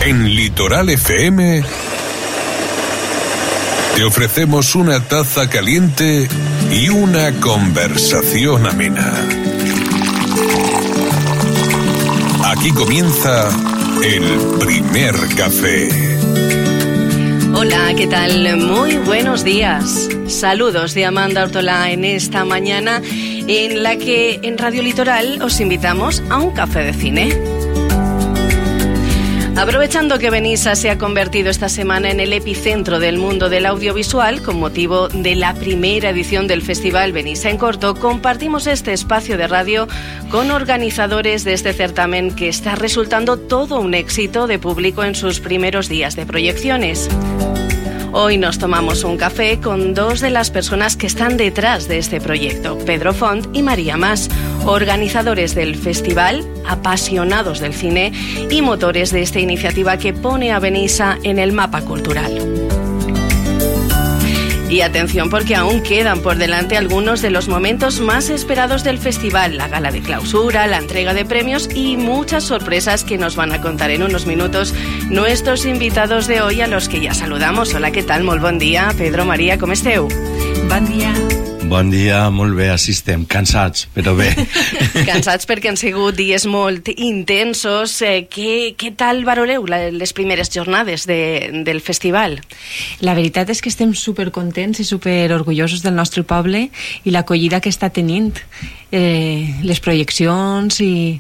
En Litoral FM te ofrecemos una taza caliente y una conversación amena. Aquí comienza el primer café. Hola, ¿qué tal? Muy buenos días. Saludos de Amanda Ortola en esta mañana en la que en Radio Litoral os invitamos a un café de cine. Aprovechando que Benissa se ha convertido esta semana en el epicentro del mundo del audiovisual, con motivo de la primera edición del Festival Benissa en Corto, compartimos este espacio de radio con organizadores de este certamen que está resultando todo un éxito de público en sus primeros días de proyecciones. Hoy nos tomamos un café con dos de las personas que están detrás de este proyecto, Pedro Font y María Mas, organizadores del festival, apasionados del cine y motores de esta iniciativa que pone a Benissa en el mapa cultural. Y atención, porque aún quedan por delante algunos de los momentos más esperados del festival, la gala de clausura, la entrega de premios y muchas sorpresas que nos van a contar en unos minutos nuestros invitados de hoy, a los que ya saludamos. Hola, ¿qué tal? Molt bon dia, Pedro, Maria, com esteu? Bon dia. Bon dia, molt bé, així estem, cansats, però bé. Cansats perquè han sigut dies molt intensos. Què tal valoreu les primeres jornades del festival? La veritat és que estem supercontents i superorgullosos del nostre poble i l'acollida que està tenint, les projeccions i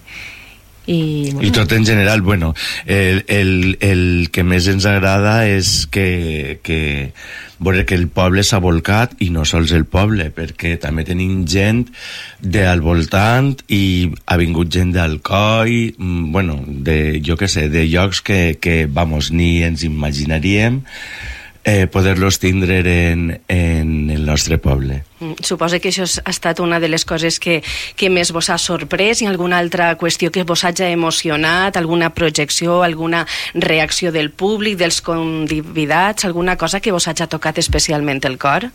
tot en general. Bueno, el que més ens agrada és que veure que el poble s'ha volcat, i no sols el poble, perquè també tenim gent al voltant i ha vingut gent d'Alcoi, bueno, jo què sé, de llocs que vamos, ni ens imaginaríem poder-los tindre en el nostre poble. Suposo que això ha estat una de les coses que més vos ha sorprès. I alguna altra qüestió que vos hagi emocionat, alguna projecció, alguna reacció del públic, dels convidats, alguna cosa que vos hagi tocat especialment el cor?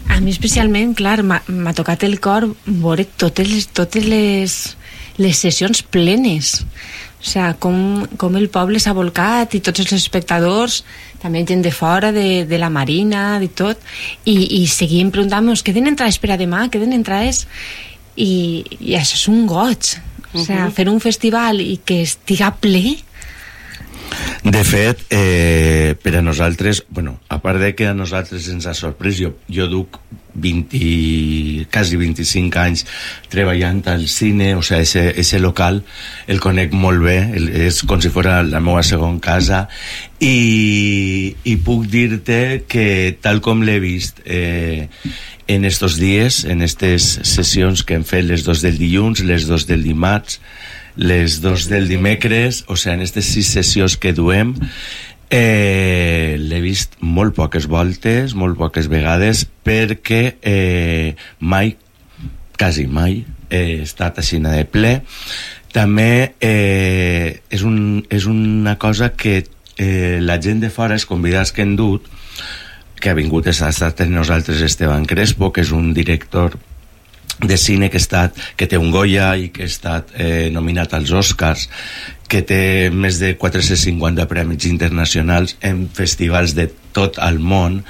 A mi especialment, clar, m'ha tocat el cor veure totes les sessions plenes. O sigui, com el poble s'ha volcat i tots els espectadors, també gent de fora, de la Marina, de tot, i seguim preguntant-nos, queden entrades per a demà, queden entrades, i això és un goig. O sigui, fer un festival i que estiga ple. De fet, per a nosaltres, bueno, a part de que a nosaltres ens ha sorprès, jo duc quasi 25 anys treballant al cine, o sigui, ese local el conec molt bé, és com si fos la meva segona casa, i puc dir-te que tal com l'he vist en estos dies, en estes sessions que hem fet, les 2 del dilluns, les 2 del dimarts, les 2 del dimecres, o sigui, en aquestes 6 sessions que duem, l'he vist molt poques voltes, molt poques vegades, perquè mai, quasi mai, he estat així de ple. També és una cosa que la gent de fora, els convidats que hem dut, que ha vingut, ha estat amb nosaltres Esteban Crespo, que és un director de cine que té un Goya i que ha estat nominat als Oscars, que té més de 450 premis internacionals en festivals de tot el món,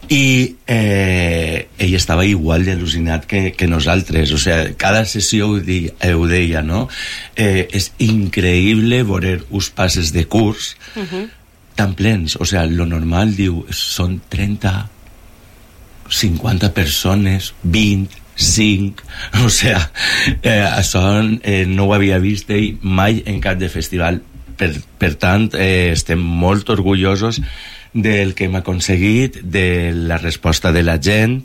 i ell estava igual d'al·lucinat que nosaltres. O sigui, cada sessió ho deia, no? És increïble veure uns passes de curs tan plens. O sigui, lo normal, diu, són 30, 50 persones, 20, 5, o sigui, això no ho havia vist mai en cap de festival. Per tant, estem molt orgullosos del que hem aconseguit, de la resposta de la gent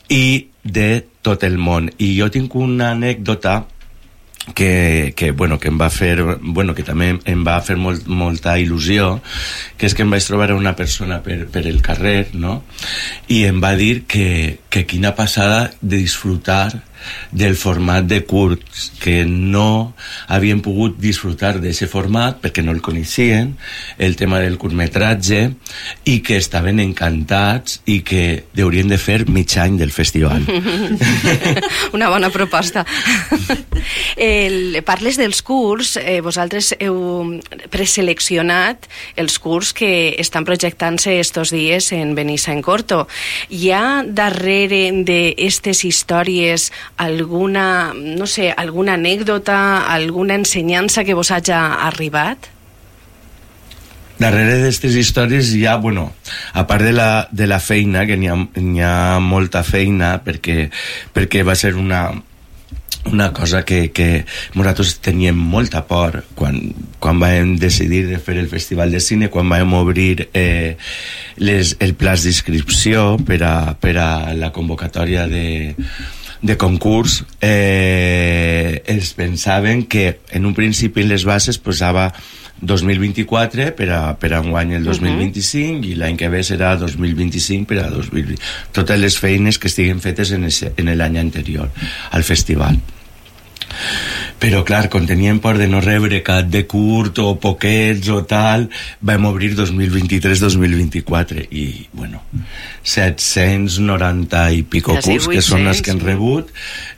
i de tot el món. I jo tinc una anècdota que em va fer, que també em va fer molta il·lusió, que és que em vaig trobar una persona per el carrer, no? I em va dir que quina passada de disfrutar del format de curts, que no havien pogut disfrutar d'aquest format perquè no el coneixien, el tema del curtmetratge, i que estaven encantats i que haurien de fer mig any del festival. Una bona proposta. Parles dels curs, vosaltres heu preseleccionat els curs que estan projectant-se estos dies en Benissa en Corto. Hi ha darrere d'aquestes històries alguna, no sé, alguna anècdota, alguna ensenyança que vos haja arribat? Darrere d'aquestes històries hi ha, bueno, a part de la feina, que n'hi ha molta feina, perquè va ser una cosa que nosaltres teníem molta por quan vam decidir de fer el Festival de Cine, quan vam obrir el pla d'inscripció per a la convocatòria de concurs. Es pensaven que en un principi en les bases posava 2024 per a enguany el 2025 i l'any que ve serà 2025 per a 2020. Totes les feines que estiguen fetes en l'any anterior al festival. Però clar, quan teníem por de no rebre cap de curt o poquets o tal, vam obrir 2023-2024 i, bueno, 790 i pico curs, que són els que han rebut.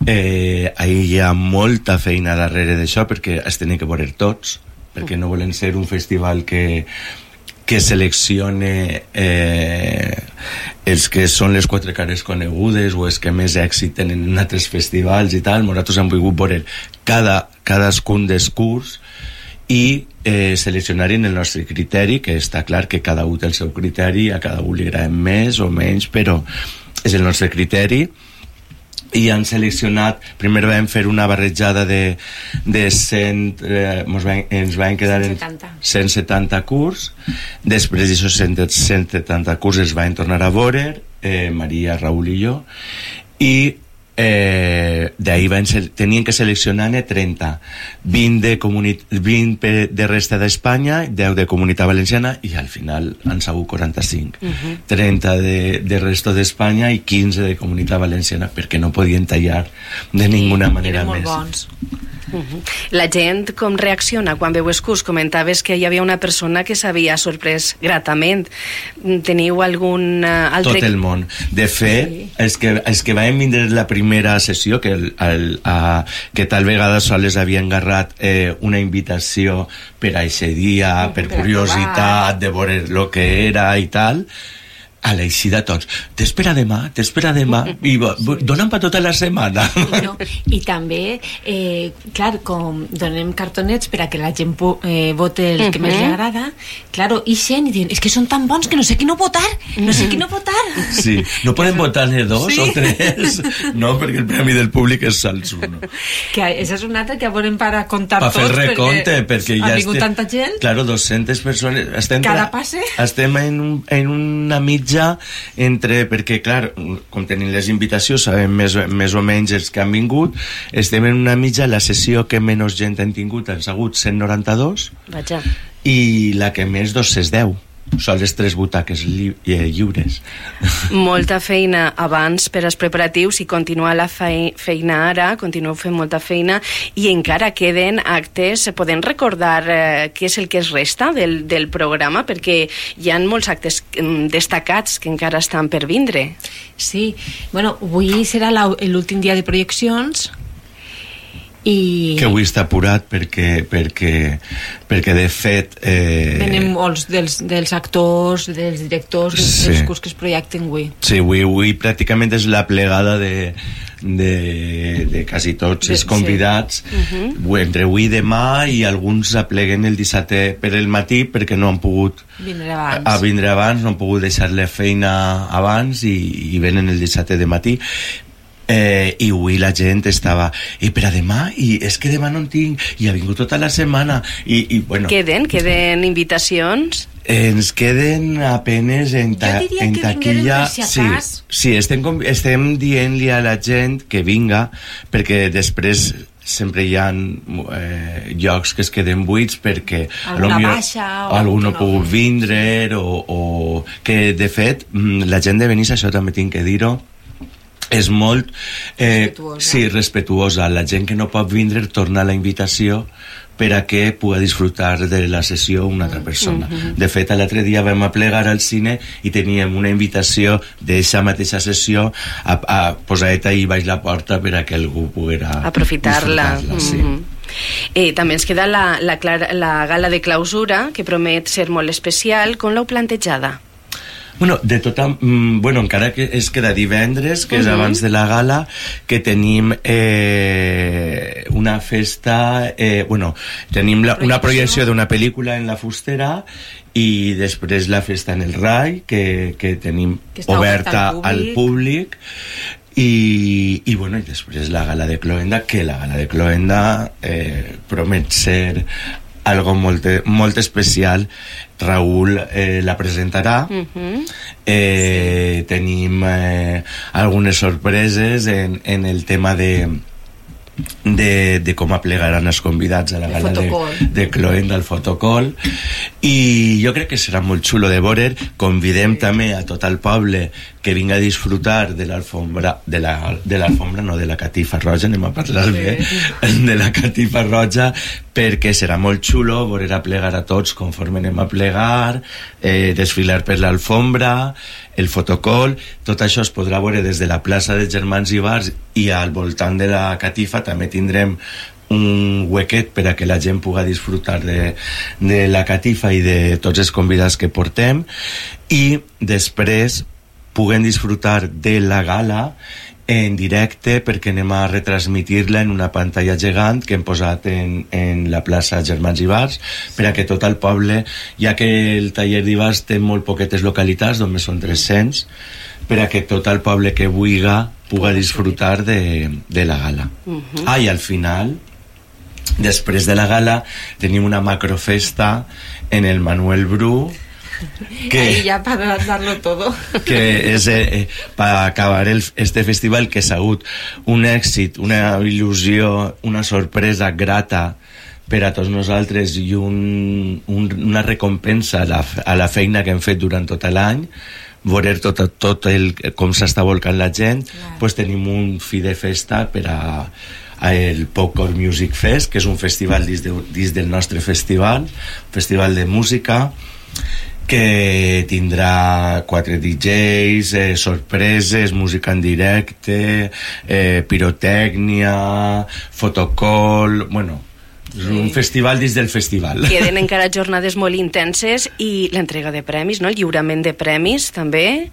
Ahí hi ha molta feina darrere d'això, perquè es tenen que veure tots, perquè no volen ser un festival que seleccione els que són les quatre cares conegudes o els que més èxit tenen en altres festivals i tal. Nosaltres hem volgut veure cadascun dels curs i seleccionar en el nostre criteri, que està clar que cada un té el seu criteri, a cada un li agrada més o menys, però és el nostre criteri. I han seleccionat, primer vam fer una barrejada de 100, ens van quedar 170 curs, després d'aquests 170 curs es van tornar a veure, Maria, Raül i jo, i d'ahir tenien que seleccionar-ne 30, 20 de resta d'Espanya, 10 de Comunitat Valenciana, i al final han sigut 45, 30 de resta d'Espanya i 15 de Comunitat Valenciana, perquè no podien tallar de ninguna manera més. Eren molt bons. La gent com reacciona quan veu els curs? Comentaves que hi havia una persona que s'havia sorprès gratament. Teniu algun altre... Tot el món. De fet, sí. els que vam vindre la primera sessió, que tal vegada sols havien agarrat una invitació per a aquest dia, per curiositat, de veure el que era i tal, a l'eixida tots, t'espera demà, i donen per tota la setmana. I també, clar, com donem cartonets per a que la gent vote el que més li agrada, clar, ixen i diuen, és que són tan bons que no sé qui no votar. Sí, no poden votar ni dos o tres, no, perquè el premi del públic és sols uno. Que això és un altre que volem per a comptar tots, per fer recompte, perquè ja ha vingut tanta gent. Claro, 200 persones. Cada passe. Estem en una mitja entre, perquè clar, com tenim les invitacions sabem més o menys els que han vingut, estem en una mitja, la sessió que menys gent han tingut han sigut 192. Vaja. I la que més 210. Són les 3 butaques lliures. Molta feina abans per als preparatius i continuar la feina ara, continueu fent molta feina i encara queden actes. Podem recordar què és el que es resta del programa, perquè hi ha molts actes destacats que encara estan per vindre. Sí, bueno, avui serà l'últim dia de projeccions. Que avui està apurat perquè de fet venen molts dels actors, dels directors, dels curs que es projecten avui. Sí, avui pràcticament és la plegada de quasi tots els convidats, entre avui i demà, i alguns apleguen el dissabte per el matí perquè no han pogut vindre abans, no han pogut deixar la feina abans i venen el dissabte de matí. I avui la gent estava i per a demà, i és que demà no en tinc, i ha vingut tota la setmana i bueno. Queden invitacions? Ens queden apenes en taquilla. Sí, estem dient-li a la gent que vinga, perquè després sempre hi ha llocs que es queden buits perquè algú no ha pogut vindre o que de fet la gent de Benissa, això també tinc que dir-ho, és molt respetuosa. Respetuosa. La gent que no pot vindre torna la invitació per a que pugui disfrutar de la sessió una altra persona. De fet, l'altre dia vam aplegar al cine i teníem una invitació d'aquesta mateixa sessió a posar-te ahí baix la porta per a que algú poguera aprofitar-la. Sí. També ens queda la gala de clausura, que promet ser molt especial. Com l'heu plantejada? Bueno, encara que es queda divendres, que és abans de la gala, que tenim una festa, tenim una projecció d'una pel·lícula en la Fustera i després la festa en el Rai, que tenim oberta al públic. I després la gala de Cloenda, que la gala de Cloenda promet ser algo molt especial. Raúl la presentarà. Tenim algunes sorpreses en el tema de com aplegaran els convidats a la gala de Cloenda, al fotocall, i jo crec que serà molt xulo de veure. Convidem també a tot el poble que vinga a disfrutar de l'alfombra, de la catifa roja, anem a parlar bé, de la catifa roja, perquè serà molt xulo veure aplegar a tots conforme anem a plegar, desfilar per l'alfombra, el fotocall. Tot això es podrà veure des de la plaça de Germans Ibars, i al voltant de la catifa també tindrem un huequet per a que la gent pugui disfrutar de la catifa i de tots els convidats que portem, i després puguem disfrutar de la gala en directe, perquè anem a retransmitir-la en una pantalla gegant que hem posat en la plaça Germans Ibars, per a que tot el poble, ja que el taller d'Ibars té molt poquetes localitats, només són 300, per a que tot el poble que pugui disfrutar de la gala. I al final, després de la gala, tenim una macrofesta en el Manuel Bru, ahí ya para darlo todo, que és per acabar este festival, que ha sigut un èxit, una il·lusió, una sorpresa grata per a tots nosaltres, i una recompensa a la feina que hem fet durant tot l'any. Veure tot com s'està volcant la gent. Pues tenim un fi de festa per a el Popcorn Music Fest, que és un festival dins del nostre festival de música, que tindrà 4 DJs, sorpreses, música en directe, pirotècnia, fotocall. És un festival dins del festival. Queden encara jornades molt intenses, i l'entrega de premis, no? El lliurament de premis també.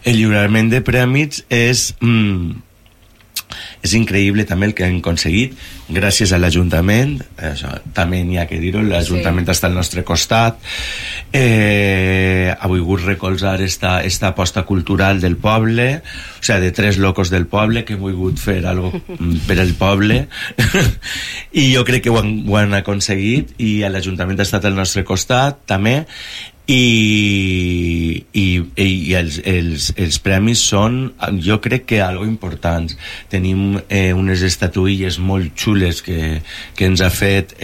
El lliurament de premis és increïble també el que hem aconseguit gràcies a l'Ajuntament. Això també n'hi ha que dir-ho, l'Ajuntament està al nostre costat, ha volgut recolzar esta aposta cultural del poble, o sigui, de 3 locos del poble que han volgut fer alguna cosa per al poble, i jo crec que ho han aconseguit, i l'Ajuntament ha estat al nostre costat també. I els premis són, jo crec que algo importants. Tenim unes estatuilles molt xules que ens ha fet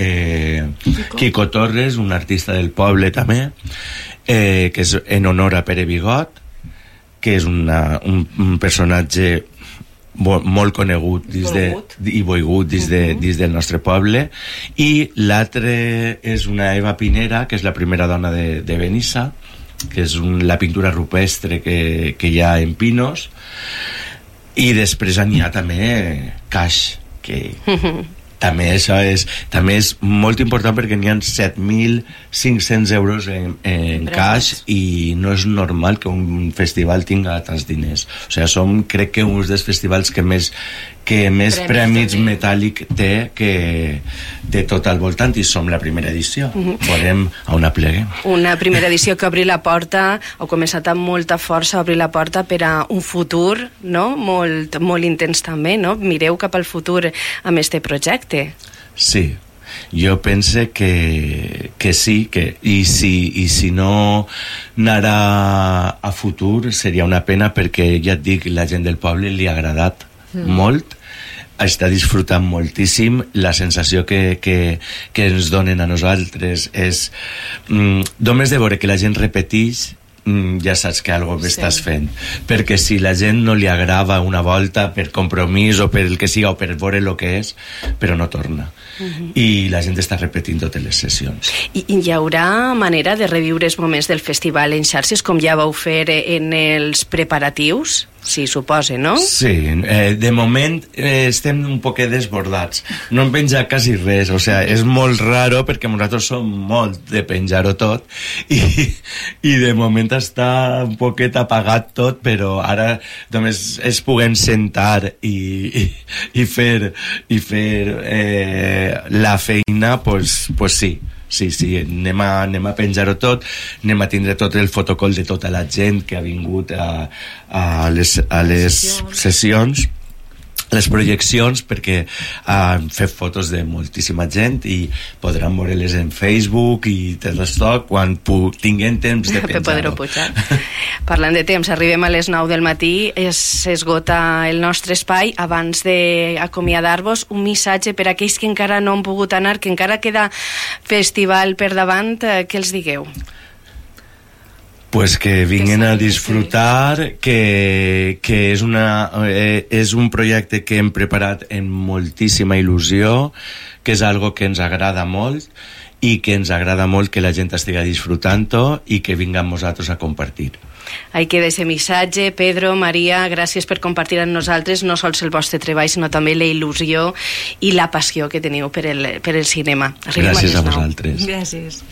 Quico Torres, un artista del poble també, que és en honor a Pere Bigot, que és un personatge molt conegut i volgut dins del nostre poble. I l'altre és una Eva Pinera, que és la primera dona de Benissa, que és la pintura rupestre que hi ha en Pinos. I després n'hi ha també Cash, que també això és molt important, perquè n'hi ha 7.500 euros en cash, i no és normal que un festival tinga tants diners. O sigui, crec que un dels festivals que més premis metàl·lic té de tot al voltant, i som la primera edició. Veurem a on apleguem. Una primera edició que obri la porta, heu començat amb molta força a obrir la porta per a un futur, no? Molt intens també, no? Mireu cap al futur amb este projecte. Sí, jo pense que sí, i si no anarà a futur seria una pena, perquè ja et dic, la gent del poble li ha agradat molt, està disfrutant moltíssim. La sensació que ens donen a nosaltres és només de veure que la gent repeteix ja saps que algo bé estàs fent, perquè si la gent no li agrava una volta per compromís o per el que siga o per veure el que és, però no torna, i la gent està repetint totes les sessions. I hi haurà manera de reviure els moments del festival en xarxes com ja vau fer en els preparatius? Sí, suposa, no? Sí, de moment estem un poquet desbordats, no en penja quasi res, o sea, és molt raro perquè nosaltres som molt de penjar-ho tot i de moment està un poquet apagat tot, però ara només es puguen sentar i fer la feina, pues sí. Sí, anem a penjar-ho tot, anem a tindre tot el fotocol de tota la gent que ha vingut a les sessions, les projeccions, perquè han fet fotos de moltíssima gent i podran veure-les en Facebook i tot això quan tinguem temps de penjar-ho. Parlant de temps, arribem a les 9 del matí, s'esgota el nostre espai. Abans d'acomiadar-vos, un missatge per a aquells que encara no han pogut anar, que encara queda festival per davant, què els digueu? Pues que vinguin a disfrutar, que és un projecte que hem preparat amb moltíssima il·lusió, que és algo que ens agrada molt i que ens agrada molt que la gent estigui disfrutant-ho i que vinguem nosaltres a compartir. Ahí queda ese missatge. Pedro, Maria, gràcies per compartir amb nosaltres no sols el vostre treball, sinó també la il·lusió i la passió que teniu per el cinema. Gràcies a vosaltres. Gràcies.